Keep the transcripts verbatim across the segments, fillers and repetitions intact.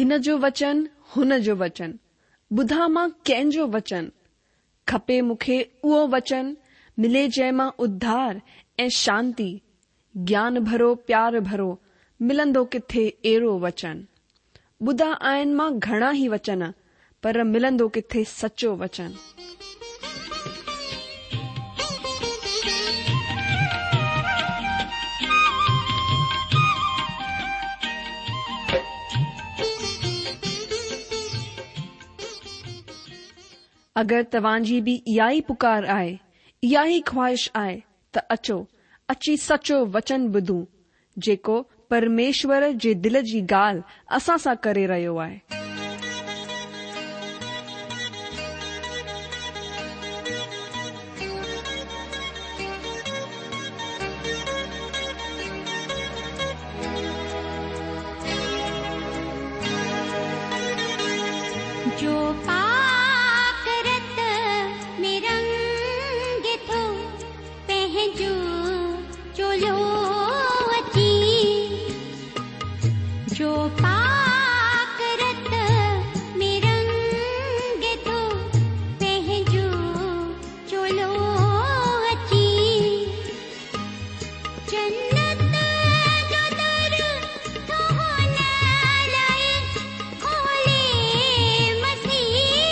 هن جو وچن، هن جو وچن، ٻڌان مان ڪنهن جو وچن؟ کپي مون کي اهو وچن، ملي جنهن مان اڌار ۽ شانتي، گيان ڀرو پيار ڀرو، ملندو ڪٿي اهڙو وچن؟ ٻڌا آهن مان گهڻا ئي وچن، پر ملندو ڪٿي سچو وچن؟ اگر توهان جي به اها ئي پڪار آهي، اها ئي خواهش آهي ته اچو، اچي سچو وچن ٻڌون، جيڪو پرميشور جي دل جي ڳالهه اسان سان ڪري رهيو آهي. جو پاڪ رت ۾ رنگي ٿو پنهنجو چولو اچي، جو پاڪ رت ۾ رنگي ٿو پنهنجو چولو اچي، جنت جو در ٿو هن لاءِ کولي مسيح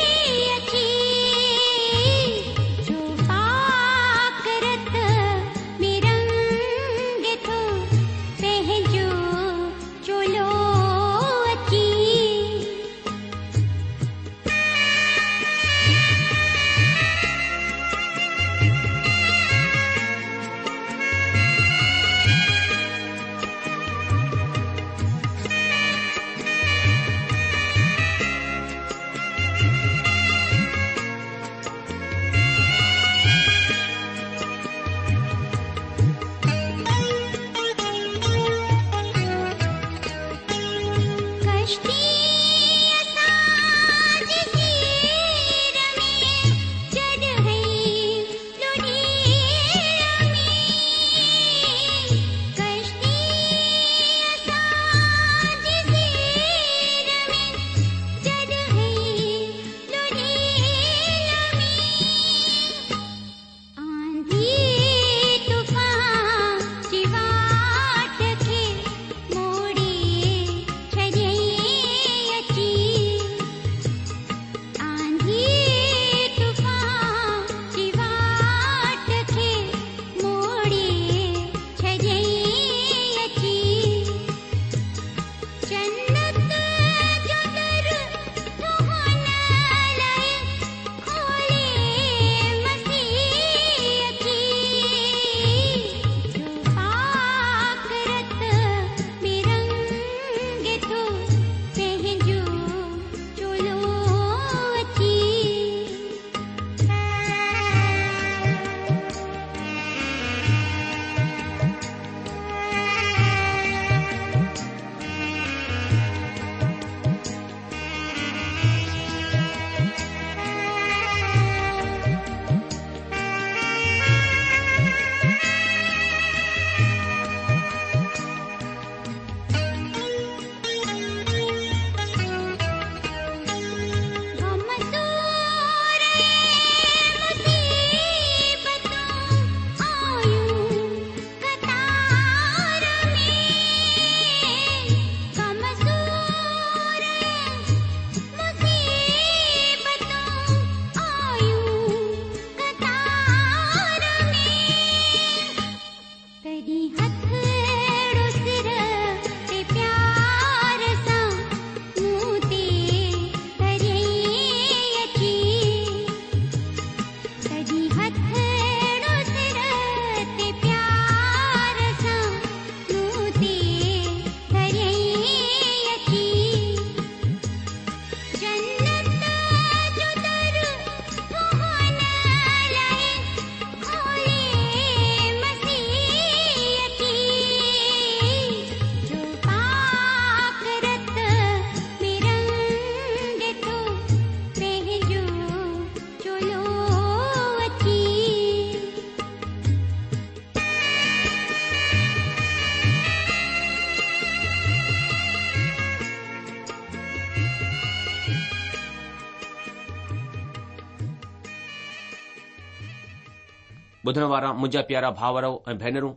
ٻڌڻ وارا منهنجا پيارا ڀائرو ۽ ڀينرون،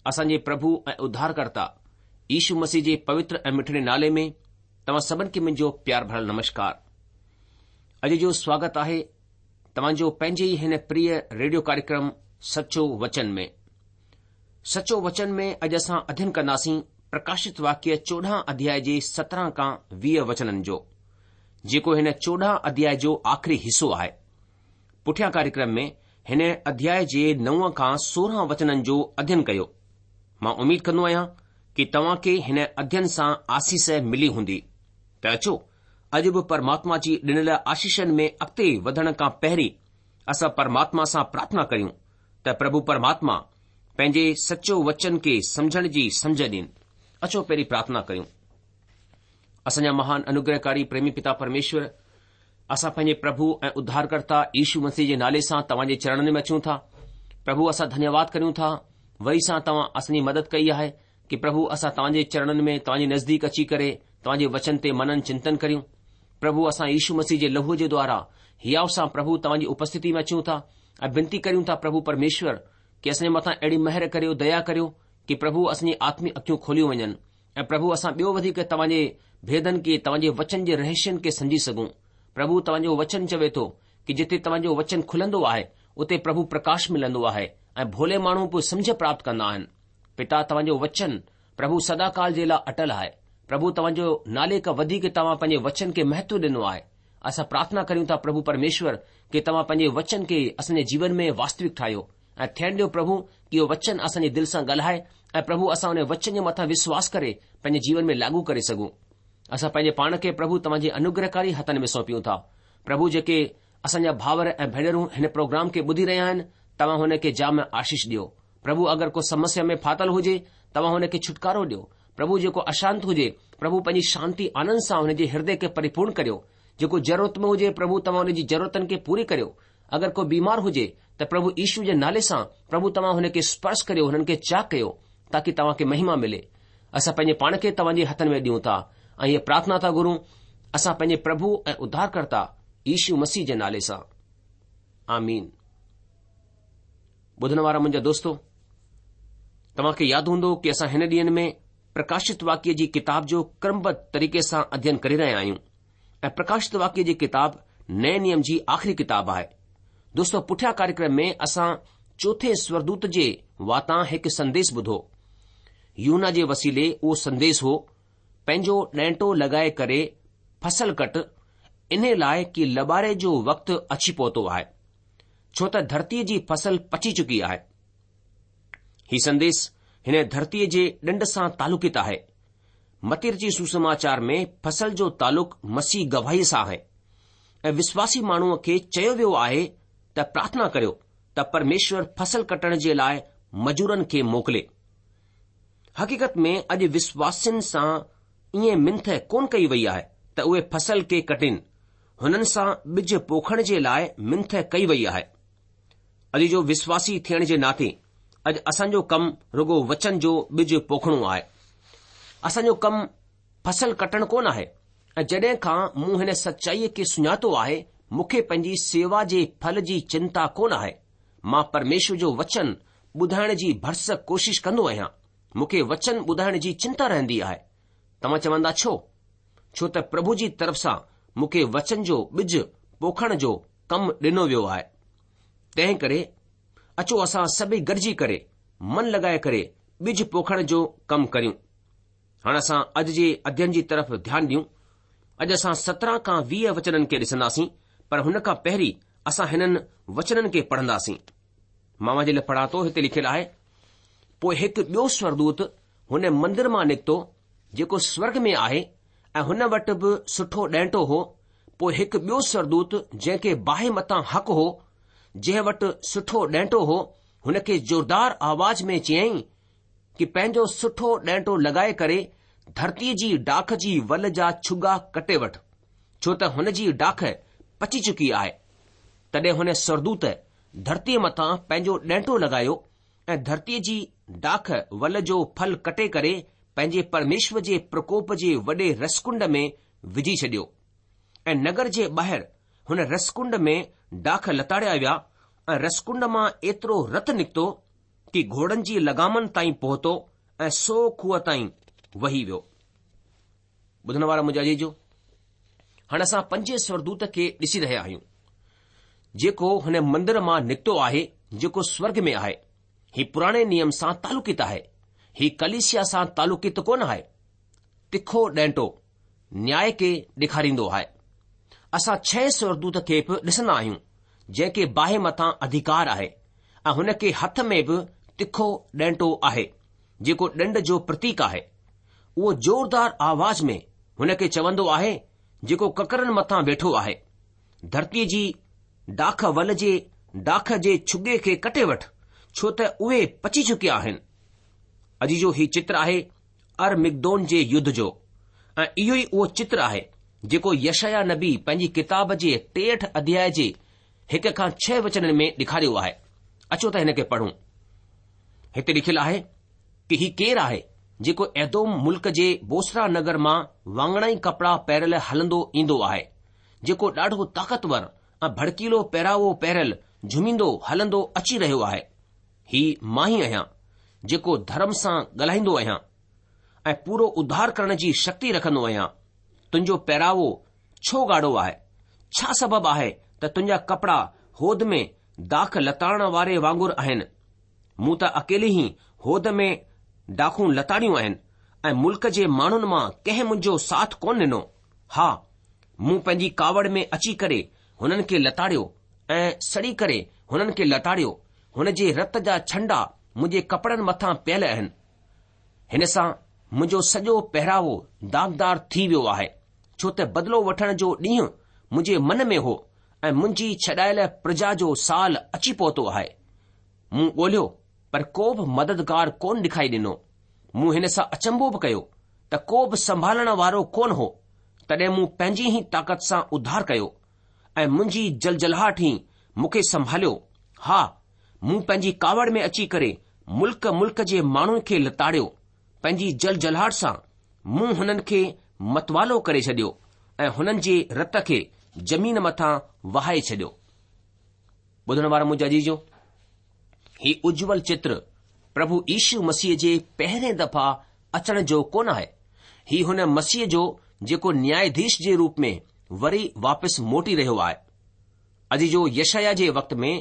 اسان جي پرڀو ۽ اڌارڪرتا يشو مسيح جي پوتر ۽ مٺڙي نالي ۾ توهان سڀن کي منهنجو پيار ڀريل نمشڪار. اڄ جو سواگت آهي توهان جو پنهنجي ئي هن پريه ريڊيو ڪاريڪرم سچو وچن ۾. سچو وچن ۾ اڄ اسان اڌين ڪنداسين پرڪاشت واڪيه چوڏهن اڌياء جي سترهن کان ويهه وچنن جو، جيڪو هن چوڏهن اڌياء جو آخري حصو آهي. پٺيان ڪاريڪرم ۾ هن اڌياء جي نو کان سورهن وچنن جو اڌين ڪيو. مان اميد ڪندو آهيان ڪي توهان کي هن اڌين سان آسيس ملي هوندي. ته اچو اڄ به پرماتما جي ڏنل آشيشن ۾ اڳتي وڌڻ کان پهرين اسان پرماتما سان پرارٿنا ڪريون ته پرڀو پرماتما پنهنجي سچو وچن کي سمجهڻ جي سمجهه ڏين. اچو پهرين پرارٿنا ڪريون. اسان جا مهان انوگرهڪاري پريمي پتا پرميشور، اسان پنهنجي پرڀو ۽ اڌارڪرتا يشو مسيح جي نالي سان توهان جي چرڻن ۾ اچون ٿا. پرڀو اسان ڌنيواد ڪريون ٿا وري سان توهان اسان جي مدد ڪئي آهي ڪي پرڀو اسان توهان جي چرڻن ۾ توهان جي نزديڪ اچي ڪري توهان جي وچن تي منن چنتن ڪريون. پرڀو اسان يشو مسيح جي لهوء جي دوارا هياء سان پرڀو توهان جي اپسٿتي ۾ اچون ٿا ۽ بنتي ڪريون ٿا پرڀو پرميشور ڪي اسان جي مٿان اهڙي مهر ڪريو ديا ڪريو ڪي پرڀو اسان جي آتمڪ اکيون کوليون وڃن ۽ پرڀو اسان ٻيو وڌيڪ توهان جي ڀيدن کي توهان جي وچن جي رهسين کي سمجهي سگهون. پرڀو توهان جو وچن چوي ٿو ڪي جتي توهان جو وچن کلندو آهي اتي پرڀو پرڪاش ملندو آهي ۽ ڀولي ماڻهو به سمجهه پراپت ڪندا آهن. پتا توهان جو وچن پرڀو سداڪال جي لاء اٽل آهي. پرڀو توهان جو نالي کان وڌيڪ توهان پنهنجي وچن کي مهتو ڏنو آهي. اسان پرارٿنا ڪريون ٿا پرڀو پرميشور ڪي توهان پنهنجي وچن کي اسان جي جيون ۾ واستوڪ ٺاهيو ۽ ٿيڻ ڏيو پرڀو ڪي اهو وچن اسان جي دل سان ڳالهائي ۽ پرڀو اسان ان وچن جي مٿان وشواس ڪري پنهنجي جيون ۾ لاڳو ڪري سگهون. اسان پنهنجي پاڻ کي پرڀو توهان جي انوگرهڪاري هٿن ۾ سونپيون ٿا. پرڀو جيڪي اسان جا ڀائر ۽ ڀينرون هن پروگرام کي ٻڌي رهيا آهن توهان هن کي جام آشيش ڏيو. پرڀو اگر ڪو سمسيا ۾ ڦاٿل هجي توهان هن کي ڇوٽڪارو ڏيو. پرڀو جيڪو اشانت هجي پرڀو پنهنجي شانتي آنند سان هن جي هردي کي پريپورڻ ڪريو. جيڪو ضرورت ۾ هجي پرڀو توهان هن جي ضرورتن کي پوري ڪريو. اگر ڪو بيمار هجي ته پرڀو يشو جي نالي سان پرڀو توهان هن کي سپرش ڪريو هنن کي چاڪ ڪيو تاڪي توهان کي مهما ملي. اسان پنهنجي پاڻ کي توهان جي هٿن ۾ ڏيون ٿا ۽ هيء پرارٿنا ٿا گهرون اسان پنهنجي پرڀو ۽ اڌارڪرتا يشو مسيح جي نالي سان. آمين. ٻڌڻ وارا منهنجا دوستو، توهان کي ياد هوندو ڪي اسان هن ڏينهن ۾ پرڪاشت واڪيه جي ڪتاب جو ڪرمبڌ طريقي سان اڌين ڪري رهيا آهيون ۽ پرڪاشت واڪيه جي ڪتاب نئين نيم جي آخري ڪتاب آهي. دوستو پٺيان ڪاريڪرم ۾ اسان چوٿين سورگدوت جي واتان هڪ سنديش ٻڌو. يوحنا جي وسيلي اهو سنديش هو، پنهنجو ڏينٽو لڳائي ڪري فصل ڪٽ، انهي لاء ڪي لٻاري جو وقت اچي پهتو آهي، ڇو ته ڌرتيء جي فصل پچي چڪي آهي. هي سنديش هن ڌرتيء جي ڏنڊ سان تعلقيت آهي. متي رچي سوسماچار ۾ فصل جو تعلق مسيح گواهيء سان آهي ۽ وشواسي ماڻهوء کي چيو ويو آهي ته پرارٿنا ڪريو ته پرميشور فصل ڪٽڻ جي لاء مزورن کي موڪلي. حقيقت ۾ اڄ وشواسين سان ائين منٿ ڪونه ڪئي وئي آهي ته اهي فصل کي ڪٽين، هنن سان ٻج پوکڻ جي لاء منٿ ڪئي وئي آهي. اڄ جو وشواسي ٿيڻ جي ناتي اڄ اسان جو ڪم رڳو وچن جو ٻج پوکڻو آهي. اسان جو ڪم فصل ڪٽڻ ڪونه آهي ۽ جڏهن کان مون هن سچائيء کي سڃاتو آهي مون کي پنهنجي سيوا جي ڦل جي چنتا ڪونه آهي. مان پرميشور جو وچن ٻڌائڻ جي ڀرسڪ ڪوشش ڪندو آهيان. مون کي وچن ٻڌائڻ جي چنتا رهندي آهي. توهان چوندا ڇو؟ ڇو ته پرڀو جي طرف سان مون کي وچن جو ٻج پوکڻ جو ڪم ڏنو ويو آهي. تنهن ڪري اچو اسان سڀئي گڏجي ڪري من لڳائي ڪري ٻج پوکڻ جو ڪم ڪريون. هاڻ اسان اڄ جي اڌين جي طرف ڌيان ڏيون. اڄ اسان سترهن کان ويهه وچنن کي ڏسنداسين پر هن کان پهرين اسان هنن وچنن کي پڙهنداسين. مان اوهان جي لاء پڙهان ٿو هتي لکيل آهي، پوء هڪ ٻيو سورگدوت هن مندر مان نڪتو جيڪو سورگ ۾ آهي ۽ هن وٽ به سٺو ڏينٽو هو. پوء هڪ ٻيو سورگدوت جنهن کي باهه مٿان حق هو، جنهن وٽ سٺو ڏينٽو هو، هن کي زوردار آواز ۾ چيائين ڪي پنهنجو سٺو ڏينٽو لڳائي ڪري ڌرتيء جي ڊاک جي ول جا ڇڳا ڪٽي وٺ، ڇو ته هن جي ڊاک پچي چڪي آهي. تڏهن هن سورگدوت ڌرتيء مٿان پنهنجو ڏينٽو لڳايو ۽ ڌرتيء جي ڊاک ول جو ڦل ڪٽي ڪري پنهنجي پرميشور جي پرڪوپ جي وڏي رسڪنڊ ۾ وجهي ڇڏيو ۽ نگر جي ٻاهر هن رسڪنڊ ۾ ڊاک لتاڙيا ويا ۽ رسڪنڊ مان ايترو رت نڪتو ڪي گهوڙن جي لگامن تائين پهتو ۽ سو کوهه تائين وهي ويو. ٻڌڻ وارا منهنجا عزيزو، هاڻي اسان پنجين سورگدوت کي ڏسي رهيا آهيون، جيڪو هن مندر مان نڪتو آهي جيڪو سورگ ۾ آهي. هي پراڻي نيم سان تعلقيت آهي. هي ڪليسيا سان تعلقيت ڪونه آهي. تکو ڏينٽو نياء کي ڏيکاريندو آهي. اسان ڇهين سورگدوت کي به ڏسندا آهيون، جنهن کي باهه مٿان اڌيڪار آهي ۽ هن کي هٿ ۾ به تکو ڏينٽو آهي، جيڪو ڏنڊ جو پرتيڪ آهي. اهو زوردار آواز ۾ هن کي چوندو آهي، جيڪو ڪڪرن مٿان ويٺو آهي، ڌرتيء جي ڊاک ول جي ڊاک جي ڇڳي کي ڪٽي وٺ، ڇو ته اهي پچي چڪيا آهن. عزيزو هي چتر آهي ارمگدون جي يڌ جو ۽ اهو ئي اهو چتر آهي جيڪو يشعيا نبي پنهنجي ڪتاب جي ٽيهٺ اڌياء جي هڪ کان ڇهه وچنن ۾ ڏيکاريو آهي. اچو ته هن کي پڙهون. هتي لکيل آهي ڪي هي ڪير آهي جيڪو ايدوم ملڪ جي بوسرا نگر مان واڱڻائي ڪپڙا پهريل هلندو ايندو آهي، جيڪو ڏاڍو طاقتور ۽ ڀڙڪيلو پهراوو پهريل جهوميندو هلندو اچي رهيو آهي. هي مان ئي آهيان، جيڪو ڌرم سان ڳالهائيندو آهيان ۽ پورو اڌار ڪرڻ جي شڪتي رکندو آهيان. تنهنجو پهراوو ڇو ڳاڙهو آهي؟ ڇا سبب آهي ته تنهنجا ڪپڙا هود ۾ داک لتاڙڻ واري وانگر آهن؟ مون ته اڪيلي ئي هود ۾ ڊاکون لتاڙيون آهن ۽ ملڪ جي ماڻهن مان ڪنهن منهنجو ساٿ ڪونه ڏنو. ها، مون پنهنجي ڪاوڙ ۾ اچي ڪري هنن کي لتاڙيو ۽ سڙي ڪري هنن کي لتاڙيو. هن جي رت جا ڇنڊا منهنجي ڪپڙن مٿان پيل آهن. هن سان منهنجو سڄو پهراوو داغدار ٿي ويو آهي، ڇو ته بدلو وٺڻ جو ڏينهن منهنجي من ۾ هو ۽ منهنجي ڇڏايل پرجا جو سال اچي پهتو آهي. مون ڳولهيو پر ڪو به مددگار ڪونه ڏکائي ڏنو. مون هن سان اچنڀو به ڪيو ته ڪو به سنڀالڻ وارو ڪونه هو. تڏهن مون پنهنجي ئي طاقت سان اڌار ڪيو ۽ منهنجي جلجلهاٽ ئي مون کي سنڀاليو. ها، مون پنهنجي ڪاوڙ ۾ اچي ڪري ملڪ ملڪ جي ماڻهن کي لتاڙيو. پنهنجي جلجلهاٽ سان مون هنن کي متوالو ڪري ڇڏيو ۽ هنن جي رت کي زمين مٿان وهائي ڇڏيو. ٻڌڻ وارا منهنجا عزيزو، هي اجول چتر پرڀو يشو مسيح جي پهرين دفعا اچڻ جو ڪونه آهي. هي هن مسيح جو جيڪو نياياڌيش جي روپ ۾ وري واپس موٽي رهيو آهي. عزيزو يشعيا جي وقت ۾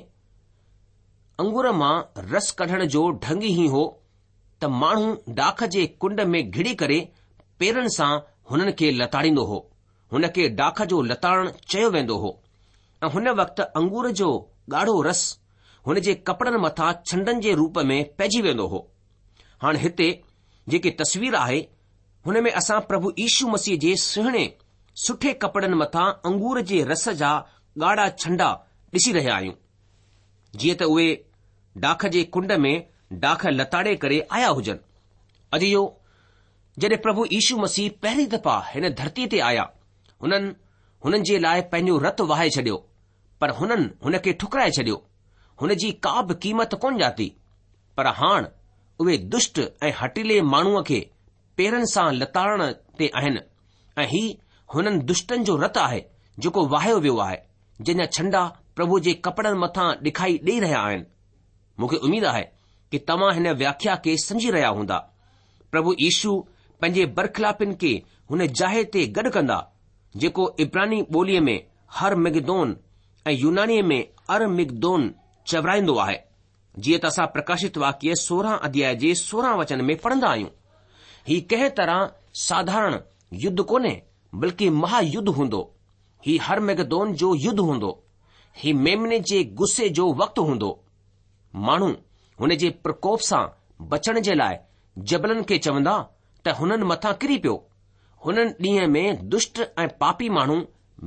انگور مان رس ڪڍڻ جو ڍنگ هي هو ته ماڻهو ڊاک جي ڪنڊ ۾ گهڙي ڪري پيرن سان هنن کي لتاڙيندو هو. هن کي ڊاک جو لتاڙڻ چيو ويندو هو ۽ هن وقت انگور جو ڳاڙهو رس هن جي ڪپڙن مٿان ڇنڊن جي روپ ۾ پئجي ويندو هو. هاڻ هتي جيڪي تصوير آهي هن ۾ اسان پرڀو يشو مسيح جي سهڻي سٺي ڪپڙن مٿان انگور جي رس جا ڳاڙها ڇنڊا ڏسي رهيا آهيون. جيئن ته اهي ڊاک جي ڪنڊ ۾ ڊاک لتاڙي ڪري آيا هجن. عزيزو جڏهن پرڀو يشو مسيح پهرين دفعا هن ڌرتيء تي آيا، هنن هنن جي لاء پنهنجو رت وهائي ڇڏيو، پر هنن هن کي ٺڪرائي ڇڏيو. هن جي ڪا به قيمت ڪونه ڄاتي. پر هاڻ اهي دشٽ ۽ هٺيلي ماڻهوء کي پيرن سان لتاڙڻ تي آهن ۽ هي هنن دشٽن جو رت آهي جيڪو وهايو ويو آهي، جنهن جا ڇنڊا پرڀو جي ڪپڙن مٿان ڏکائي ڏيئي رهيا آهن. مون کي اميد آهي ڪي توهان هن وياکيا کي سمجهي رهيا هوندا. پرڀو يشو پنهنجي برخلافين کي هن جاء تي گڏ ڪندا، جيڪو عبراني ٻوليء ۾ هرمگدون ۽ يونانيء ۾ ارمگدون چورائيندو آهي، جيئن ته اسان پرڪاشت واڪيه سورهن اڌياء جي سورهن وچن ۾ پڙهندا آهيون. هي ڪنهن طرح ساڌارڻ يڌ ڪونهي، بلڪه مها يڌ هوندو. هي هرمگدون جو يڌ هوندو. هي ميمني جي غصي جو وقت هوندو. ماڻهو هن جي پرڪوپ سان بچڻ جي لاء جبلن کي چوندا ته هنن مٿان ڪري پيو. هنن ڏينهن ۾ دشٽ ۽ پاپي ماڻهو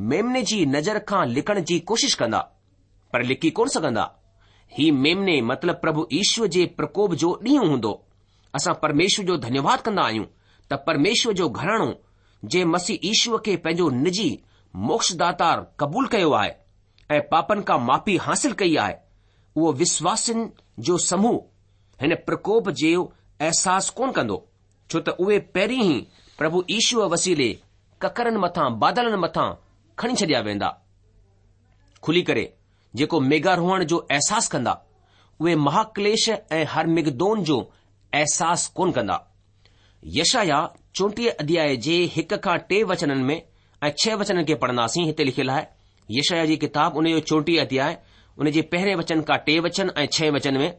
ميمني جي نظر کان لڪڻ جي ڪوشش ڪندا، پر لڪي ڪونه سگهندا. هي ميمني مطلب پرڀو يشو جي پرڪوپ جو ڏينهن هوندو. اسان پرميشور جو ڌنيواد ڪندا آهيون ته پرميشور جو گهراڻو جنهن مسيح يشو کي پنهنجو نجي موڪشداتار قبول ڪيو آهي ۽ پاپن کان معافي حاصل ڪئي آهي، اهو وشواسين جو سموهه هن پرڪوپ جو احساس ڪونه ڪندو، ڇو ته اهي پهرين ئي پرڀو يشوء وسيلي ڪڪرن مٿان بادلن مٿان کڻي ڇڏيا ويندا. کلي ڪري جيڪو ميگهاروهڻ جو احساس ڪندا، اهي مهاڪليش ۽ هرمگدون جو احساس ڪونه ڪندا. يشعيا چوٽيهه اڌياء جي هڪ کان ٽي وچنن ۾ ۽ ڇهه وچنن کي پڙهنداسين. هتي لکيل آهي، يشعيا جي ڪتاب ان جو چوٽيهه اڌياء ان جي پهرين وچن کان ٽي وچن ۽ ڇهه وچن ۾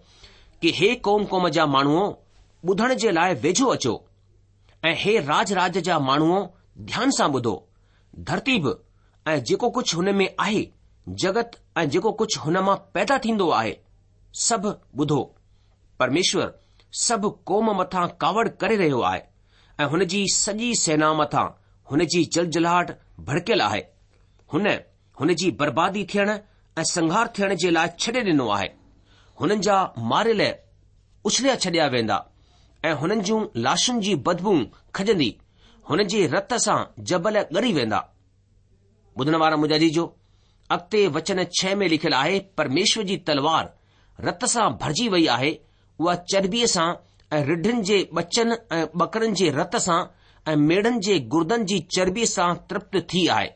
ڪي هي قوم قوم جا ماڻهوء ٻڌڻ جي لاء ويجهو اچو ۽ هي راج راج جا ماڻهوء ڌيان سان ٻڌو. ڌرتي به ۽ جيڪو ڪجهه هن ۾ آهي، جڳت ۽ جيڪو ڪجهه هن مان پيدا ٿيندو آهي، سڀ ٻڌو. پرميشور سڀ قوم مٿان ڪاوڙ ڪري رهيو آهي ۽ هن جي سڄي سينا مٿان هن جي جلجلاهٽ ڀڙڪيل آهي. هن هن جي بربادي ٿيڻ ۽ سنهار ٿيڻ جي لاء ڇڏي ڏنو آهي. هنن جا ماريل اڇليا ڇڏيا ويندا ۽ هنن جون لاشن جي بدبو کڄندي، هن جي رت سان جبل ڳري ويندا. ٻڌڻ وارا منهنجا عزيزو، اڳتي وچن ڇهه ۾ لکيل آهي، پرميشور جي تلوار رت سان ڀرجي وئي آهي، اها چربيء سان ۽ رڍن جي ٻچن ۽ ٻڪرن جي رت سان ۽ ميڙن جي گردن جي چربيء سان ترپت ٿي آهي.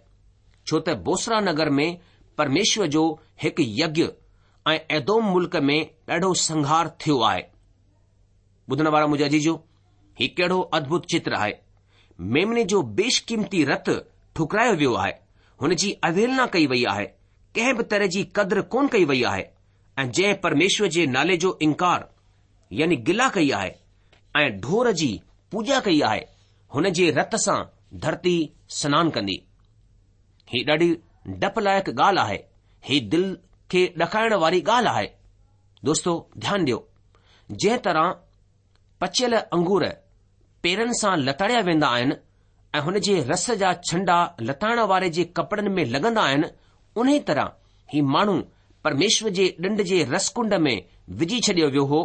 ڇو ته بوسرا نگر ۾ پرميشور جو هڪ يگيه ۽ ايدوم ملڪ ۾ ڏاڍو سنهار ٿيو آهي. ٻڌڻ وارا منهنجا عزيزو، هي ڪهڙو ادڀت چتر آهي. ميمني جو بيشقيمتي رت ٺڪرايو ويو آهي، هن جي اوهيلنا ڪئي وئي آهي، ڪنهن به طرح جي قدر ڪونه ڪئي وئي آهي ۽ جنهن پرميشور جي نالي جو انڪار يعني گلا ڪئي آهي ۽ ڍور جي پوڄا ڪئي آهي، هن جي رت سان ڌرتي سنان ڪندي. هي ڏاڍي ڊپ لائق ڳالهه آهي، هي دل کي ڏڪائڻ واري ڳالهه آهي. دوستو ڌيان ڏيو، جنهن طرح پچيل انگور پيرن سان لتاڙيا ويندا آهن ۽ هن جي رس جا ڇنڊا لتاڙڻ واري جي ڪپڙن ۾ لڳندا آهن، انهي طرح هي ماڻهو پرميشور جي ڏنڊ جي رس ڪنڊ ۾ وجهي ڇڏيو ويو هو،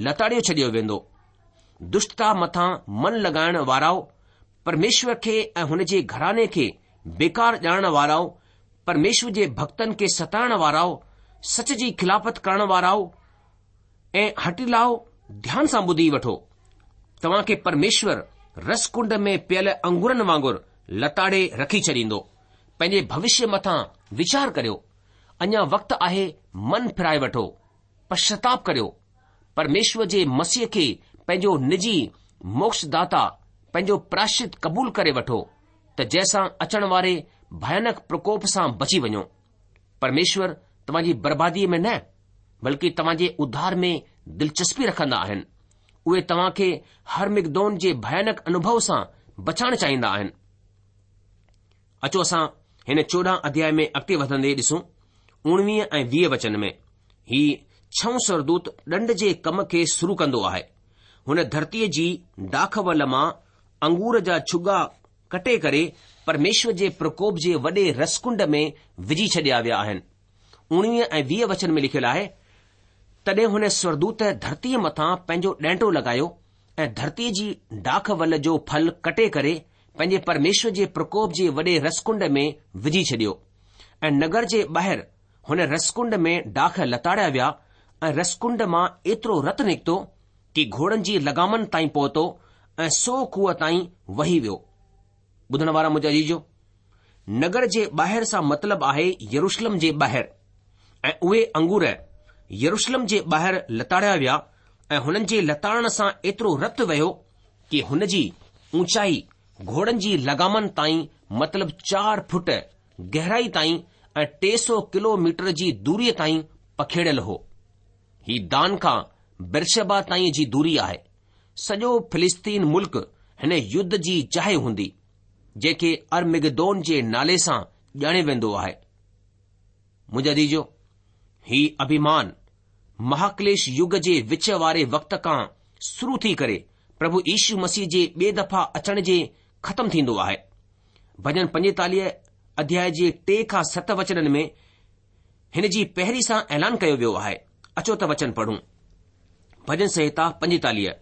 لتاڙيو ڇڏيو ويندو. دشٽتا مٿان من لڳائڻ وارائو، پرميشور کي ۽ هن جي گهراڻي کي بيڪار ڄاڻڻ وارائو، پرميشور جي ڀڳتن کي ستائڻ وارائو، سچ جي خلافت ڪرڻ وارائو ۽ هٺيلائو ڌيان سان ٻڌي وٺو. توهان کي پرميشور رس ڪنڊ ۾ پيل انگورن وانگر لتاڙي رکي ڇڏيندو. پنهنجي ڀوشيه مٿان ويچار ڪريو. اڃا وقت آهي من ڦيرائي وٺو. پشچاتاپ ڪريو. پرميشور جي مسيح کي پنهنجو نجي موڪشداتا، پنهنجو پراشچت قبول ڪري وٺو ته جنهن سان اچڻ واري ڀيانڪ پرڪوپ سان بچي وڃو. پرميشور توهان جي برباديء ۾ نه بلڪه توهان جي اڌار ۾ دلچسپي رکندا آهن. اهي توهان کي هرمگدون جي ڀيانڪ انوڀو سان بچائڻ چاهيندا آهن. اچو اسان هن چوڏهن اڌياء ۾ اڳتي وڌندي ڏسون اڻويهه ۽ ويهه وچن ۾ هي ڇهون سورگدوت ڏنڊ جي ڪم کي شروع ڪندو آهي. هن ڌرتيء جي ڊاک ول مان انگور جا ڇڳا ڪٽي ڪري پرميشور جي پرڪوپ جي وڏي رسڪنڊ ۾ وجهي ڇڏيا ويا آهن. اڻويهه ۽ ويهه وچن ۾ لکيل آهي، تڏهن هن سورگدوت ڌرتيء مٿان پنهنجو ڏينٽو لڳايو ۽ ڌرتيء جي ڊاک ول جو ڦل ڪٽي ڪري پنهنجي پرميشور جي پرڪوپ جي وڏي رسڪنڊ ۾ وجهي ڇڏيو ۽ نگر جي ٻاهر هن رسڪنڊ ۾ ڊاک لتاڙيا ويا ۽ رسڪنڊ مان ايترو رت نڪتو ڪي گهوڙن جي لگامن تائين پهتو ۽ سؤ ڪوهه تائين وهي ويو. ٻڌڻ وارا منهنجا عزيزو، نگر جي ٻاهر سان مطلب آهي يروشلم جي ٻاهر ۽ اهي انگور يروشلم جي ٻاهر لتاڙيا ويا ۽ هنن جي لتاڙڻ سان ايترو رت وهيو ڪي هن جي اوچائي گهوڙن جي لگامن تائين مطلب چار فٽ گهرائي تائين ۽ ٽي سؤ ڪلو ميٽر جي دوريء تائين پکيڙيل هو. هي دان کان بيرشبا تائين جي دوري آهي. سڄو فلسطين ملڪ هن يڌ جي جاء هوندي، جنهن کي ارمگدون جي نالي سان ڄاڻيو ويندو آهي. منهنجا عزيزو، هي اڀيمان مهاڪليش يگ جي وچ واري وقت کان شروع ٿي ڪري پرڀو يشو مسيح جي ٻي دفعا اچڻ جي ختم ٿيندو آهي. ڀڄن پنجيتاليهه اڌياء جي ٽي کان ست وچنن ۾ هن جي پهرين سان اعلان ڪيو ويو آهي. اچو ته وچن پڙهون. ڀڄن سنهتا پنجيتاليهه،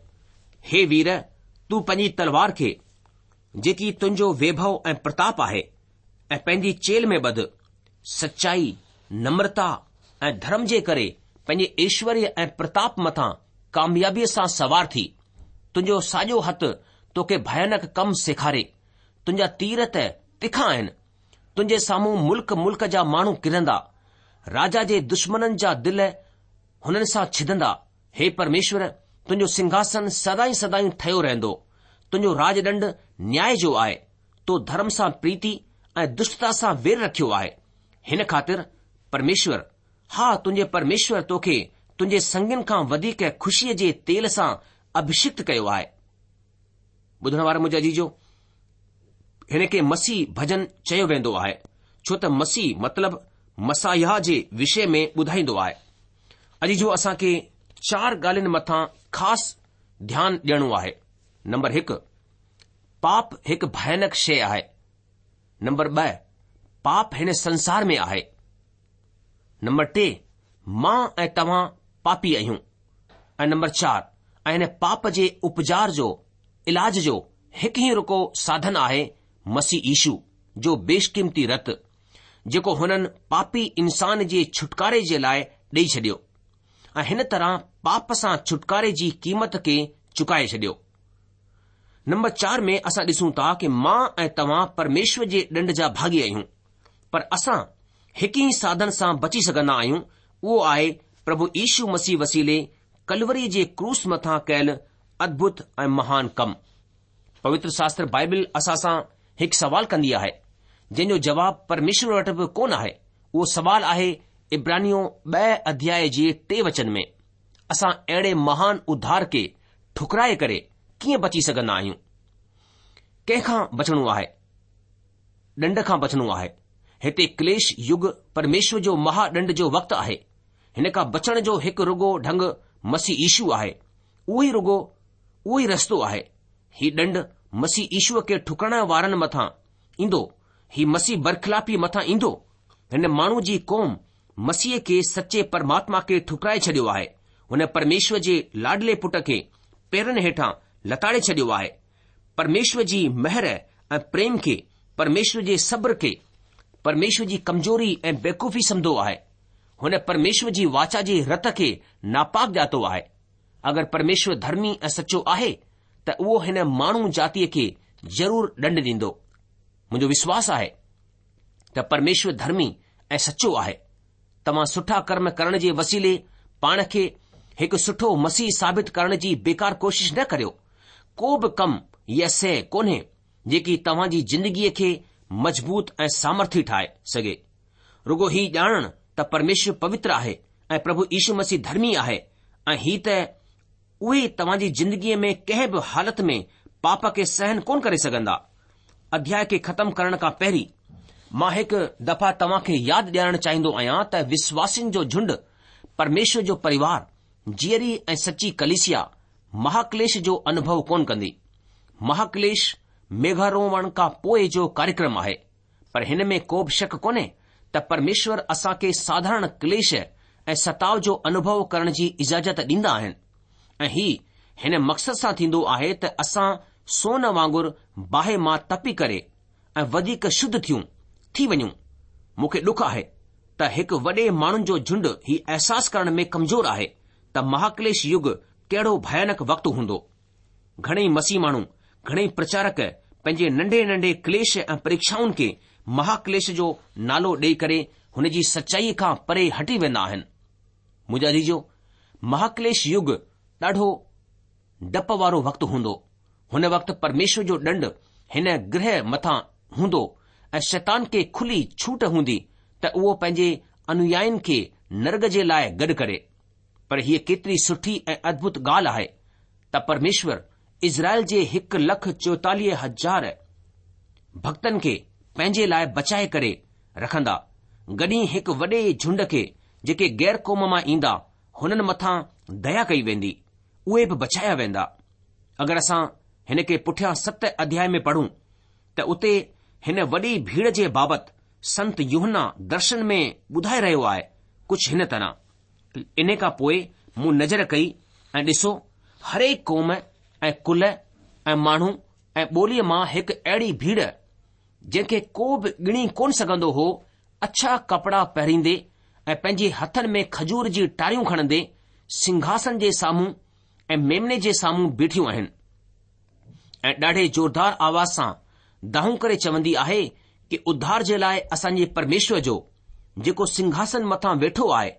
هي وير، تون پنهنجي تلوار کي، جيڪي تنهنجو ويڀو ۽ پرتاپ آهي، ۽ پنهنجي چيلهه ۾ ٻڌ، سچائي، نمرتا ۽ ڌرم جي ڪري پنهنجي ايشوريه ۽ پرتاپ مٿان ڪاميابيء سان سوار ٿي. تنهنجو ساڄو هٿ توکي ڀيانڪ ڪم سيکاري. تنهنجا تير ته تکا آهن. تنهنجي سامهون ملڪ ملڪ جا ماڻهو ڪرندا. راجا جي دشمنن جا دل هنن سان ڇدندا. هي پرميشور، تنهنجو سنگهاسن سدائين سدائين ٺهيو رهندو. تنهنجو راڄ ڏنڊ نياء جو آهي. تو ڌرم سان پريتي ۽ دشٽتا سان وير رکيو آهي. هن خاطر پرميشور، ها تنهنجي پرميشور توکي تنهنجي سنگين کان وڌيڪ خوشيءَ جي تيل سان اڀشڪت ڪيو آهي. ٻڌڻ وارا منهنجا عزيزو، هن کي مسيح ڀڄن چيو ويندو آهي، ڇو ته مسيح مطلب مسايا جي وشي ۾ ٻڌائيندو آهي. عزيزو، اسان کي چار ڳالهين مٿان خاص ڌيان ڏيڻو آهي. نمبر هڪ، پاپ هڪ ڀيانڪ شيءِ آهي. نمبر ٻه، پاپ هن سنسار ۾ آهي. نمبر ٽي، مان ۽ توهان پاپي آهيون. ۽ نمبر چار، ۽ هن پاپ جي اپچار جو علاج جو هڪ ئي رڳو ساڌن آهي مسيح يشو جو بيشقيمتي رت، جيڪو هنن پاپي انسان جي ڇوٽڪاري جي لاءِ ڏيئي ڇڏيو ۽ هن طرح پاپ سان ڇوٽڪاري جي قيمت کي چڪائي ڇڏيو. نمبر چار ۾ اسان ڏسون ٿا ڪه مان ۽ توهان پرميشور جي ڏنڊ جا ڀاڳي آهيون، پر اسان هڪ ئي ساڌن سان بچي سگهندا آهيون، اهو آهي پرڀو يشو مسيح وسيلي ڪلوري جي ڪروس مٿان ڪيل ادڀت ۽ مهان ڪم. پوتر شاستر بائبل اسان سان هڪ سوال ڪندي آهي، جنهن جو جواب پرميشور وٽ به ڪونه آهي. اهو سوال آهي عبرانيون ٻه اڌياء جي ٽي وچن ۾، اسان اهڙي مهان اڌار کي ٺڪرائي ڪري ڪيئن بچي سگهندا آهيون؟ ڪنهن کان بچڻو آهي؟ ڏنڊ کان بچڻو آهي. هتي ڪليش يگ پرميشور جو مها ڏنڊ جو وقت آهي. هن کان بچڻ جو هڪ رڳو ڍنگ مسيح يشو آهي. اهو ئي رڳو اهو ئي رستو آهي. هي ڏنڊ مسيح يشوء کي ٺڪرائڻ وارن مٿان ايندو. هي مسيح برخلافي مٿان ايندو. هن ماڻهو جي قوم مسيح کي سچي پرماتما کي ٺڪرائي ڇڏيو آهي. هن پرميشور جي لاڏلي پٽ کي پيرن هيٺان لتاڙي ڇڏيو آهي. پرميشور جي مهر ۽ پريم کي، پرميشور جي صبر کي، پرميشور جي ڪمزوري ۽ بيوقوفي سمجهو آهي. هن پرميشور جي واچا جي رت کي ناپاڪ ڄاتو آهي. اگر پرميشور ڌرمي ۽ سچو آهي ته اهو هن ماڻهو جاتيءَ کي ضرور ڏنڊ ڏيندو. منهنجو وشواس آهي ته پرميشور ڌرمي ۽ سچو آهي. توهان سٺا ڪرم ڪرڻ جي وسيلي پاڻ کي هڪ سٺو مسيح ثابت ڪرڻ جي بيڪار ڪوشش نه ڪريو. ڪو به ڪم يا شيءِ ڪونهي جيڪي توهان جي زندگيءَ کي مضبوط ۽ سامرٿي ٺاهي سگهي. رڳو هي ڄاڻڻ ته پرميشور پوتر آهي ۽ پرڀو يشو مسيح ڌرمي آهي ۽ هي ته اهي توهان جي زندگيءَ ۾ ڪنهن به حالت ۾ پاپ کي سهن ڪونه ڪري سگهندا. اڌياء کي ختم ڪرڻ کان پهرين مان هڪ دفعا توهان کي ياد ڏيارڻ چاهيندو آهيان ته وشواسين جو جهنڊ، پرميشور جو پريوار، جيئري ۽ سچي ڪليسيا مهاڪليش جو انوڀو ڪونه ڪندي. مهاڪليش ميگهاروهڻ کان پوءِ جو ڪاريڪرم آهي، پر هن ۾ ڪو به شڪ ڪونهي ته پرميشور اسان کي ساڌارڻ ڪليش ۽ ستاءُ جو انوڀو ڪرڻ جي اجازت ڏيندا آهن ۽ هي هن مقصد سان ٿيندو آهي ته اسان سون وانگر باهه مان تپي ڪري ۽ وڌيڪ شڌ ٿيون ٿي وڃون. مون کي ڏک آهي ته هڪ وڏي ماڻهن جو جهنڊ هي احساس ڪرڻ ۾ ڪمزور آهي ته مهاڪليش يگ ڪهڙو ڀيانڪ وقت هوندو. گهڻيئي مسيح ماڻهو، گهڻيئي پرچارڪ پنهنجي ننڍي ننڍي ڪليش ۽ پريڪشائن کي مهاڪليش جو نالو ڏيئي ڪري هن جي سچائيءَ کان پري هٽي ويندا آهن. منهنجا عزيزو، مهاڪليش يگ ڏاڍو ڊپ وارو وقت هوندو. هن وقت پرميشور جو ڏنڊ هن گرهه مٿان هوندو ۽ شيطان کي کلي ڇوٽ هوندي ته اهو پنهنجي انويائين کي نرڳ جي لاءِ گڏ ڪري. پر هيءَ ڪيتري سٺي ۽ ادڀت ڳالهه آهي ته پرميشور اسرائيل جي هڪ لک چوئيتاليهه هزار ڀڪتن کي پنهنجي لاءِ بچائي ڪري رکندا. گڏ ئي هڪ وڏي جهنڊ کي جيڪي غير قوم مان ايندا هنن مٿان ديا ڪئي ويندي، اهي به بچايا ويندا. اگر اسان هن کي پٺيان ست اڌياء ۾ پڙهون ته اتي هن وڏي ڀيڙ جي بابت سنت يوحنا درشن ۾ ٻڌائي رهيو آهي ڪجهه هن طرح. ان کان پوءِ مون نظر ڪئي ۽ ڏسو هريڪ قوم ۽ ڪل ۽ ماڻهو ۽ ٻوليءَ مان هڪ اهڙي ڀيڙ جنهن کي ڪو به ڳڻي ڪونه سگهندو هو، اڇا ڪپڙا پهريندي ۽ پنهنجي هٿن ۾ کجور جي ٽاريون کڻندي سنگهاسن جي سامهون ۽ ميمني جي سامهون بيٺيون آهن ۽ ڏاڍي زوردار آواز سان دانهون ڪري چوندي آهي ڪه اڌار جي لاءِ اسان جي پرميشور جو جيڪو سنگهاسن مٿان ويٺو آهي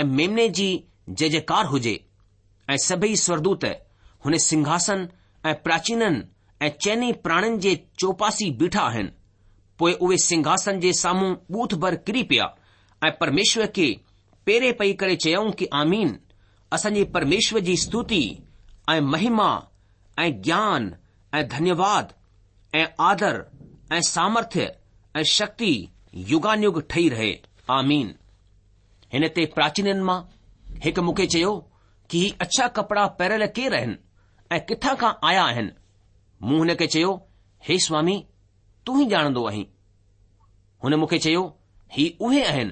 ۽ ميمني جي جئه جئڪار هجي. ۽ سڀئي سورگدوت هن سنگهاسن ۽ پراچينن ۽ چئني پراڻين جي چوپاسي بيٺا آهن. پوءِ اهي سنگهاسن جي سامهون ٻوٿ ڀر ڪري پيا ۽ پرميشور کي پيري پئي ڪري چيائون ڪه آمين، اسان جي پرميشور جي استوتي ۽ مهما ۽ گيان ۽ ڌنيواد ۽ آدر ۽ سامرٿيه ۽ شڪتي يگانيگ ٺهي رهي. آمين. هن تي پراچينن مان هڪ مون کي چيو ڪه هي اڇا ڪپڙا پهريل ڪير آهن ۽ ڪٿان کان آيا آهن؟ مون هن کي چيو، هي سوامي، تون ئي ڄاڻندو آهين. هن مون کي چيو، هي اهي آهن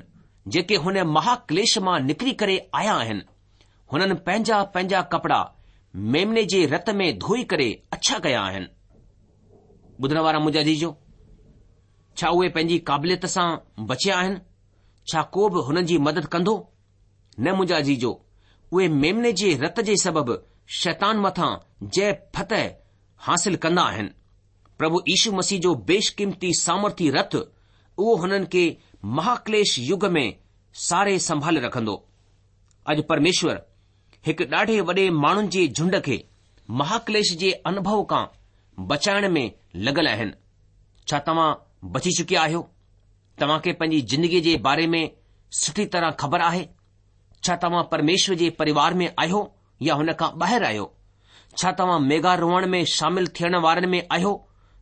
جيڪي هن مهاڪليش مان نڪري ڪري آيا آهن. هنن پنهنجا پنهنجا ڪپڙا ميمني جي رت ۾ ڌوئي ڪري اڇا ڪيا آهن. ٻڌڻ وارا منهنجا عزيزو، ڇا اهي پنهنجي قابليت سان بچيا آهن؟ ڇا ڪو به هنن جي مدد ڪندو؟ نه منهنجا عزيزو، اهي ميمني جي رت جي سبب شيطان مٿان جئه فتح حاصل ڪندا آهن. پرڀو يشو مسيح جو بيشقيمتي سامرٿي رت اهو هنن کي مهاڪليش يگ ۾ ساري سنڀالي رکندو. اڄ پرميشور هڪ ڏاڍي وڏي ماڻهن جي جهنڊ کي مهاڪليش جي انڀو کان بچائڻ ۾ لڳل آهن. ڇا توهان بچي چڪيا آهيو؟ توهان کي پنهنجي زندگيء جي باري ۾ سٺي طرح خبر آهي؟ ڇا توهان پرميشور جي پريوار ۾ آهيو يا هن کان ٻاهر آهيو؟ ڇا توهان ميگهاروهڻ ۾ شامل ٿيڻ وارن ۾ آهيو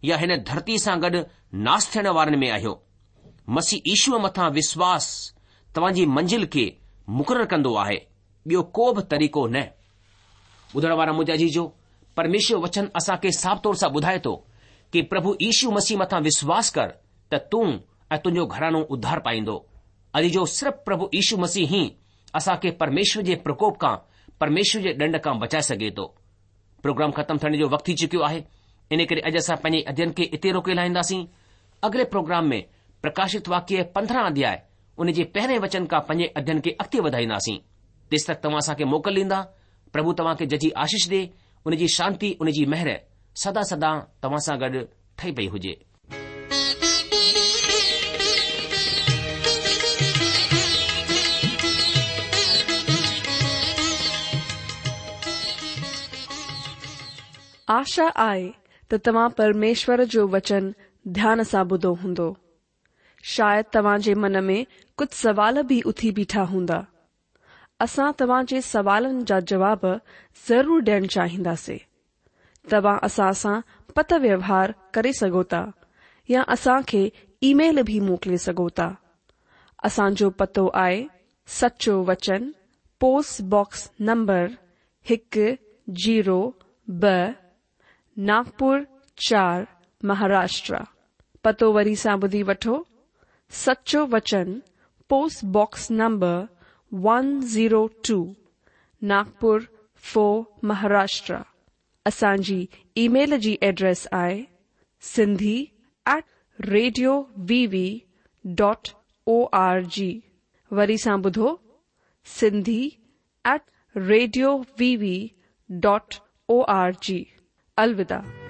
يا هن ڌرتي سان گڏ ناس ٿيڻ وارن ۾ آهيو؟ مسيح يشوء مٿان وشواس توهان جي منزل کي مقرر ڪندو آهي، ٻيو ڪو به طريقو نه. ٻڌڻ وارا منهنجا عزيزو، پرميشور وچن اسان کي صاف طور سان ٻڌائي ٿو ڪه پرڀو يشو مسيح مٿان وشواس ڪر ته تون ۽ تنهنجو گهراڻو اڌار پائيندو. عزيزو، صرف پرڀو يشو مسيح ئي اسان کي پرميشور جي پرڪوپ کان، پرميشور جي ڏنڊ کان بچائي سگهي ٿو. پروگرام ختم ٿيڻ جو وقت ٿي چڪيو آهي، ان ڪري اڄ اسان پنهنجي اڌين کي اتي روڪي لاهينداسين. اڳلي پروگرام ۾ پرڪاشت واڪيه پندرهن اڌياء ان جي پهرين وچن کان پنهنجي اڌين کي اڳتي وڌائينداسين. تيس تڪ توهان اسان کي موڪل ڏيندا. پرڀو توهان کي ججهي آشيش ڏي، ان جي شانتي، ان جي مهر سدا سدا توهان سان گڏ ٺهي پئي هجي. آشا آهي ته توهان پرميشور جو وچن ڌيان سان ٻڌو هوندو. شايد توهان جي من ۾ ڪجهه سوال به اٿي بيٺا هوندا. اسان توهان جي سوالن جا جواب ضرور ڏيڻ چاهينداسين. توهان اسان سان پتر ويوهار ڪري سگهو ٿا يا اسان کي اي ميل به موڪلي سگهو ٿا. اسان جو پتو آهي سچو وچن، پوسٽ باڪس نمبر هڪ زيرو ٻه، ناگپور چار، مهاراشٽر. پتو وري سان ٻڌي وٺو، سچو وچن، post box number one zero two, Nagpur four, Maharashtra. اسان جي اي ميل جي ايڊريس آهي Sindhi at radio V V dot O R G. وري سان ٻڌو، Sindhi at radio V V dot O R G. الوداع.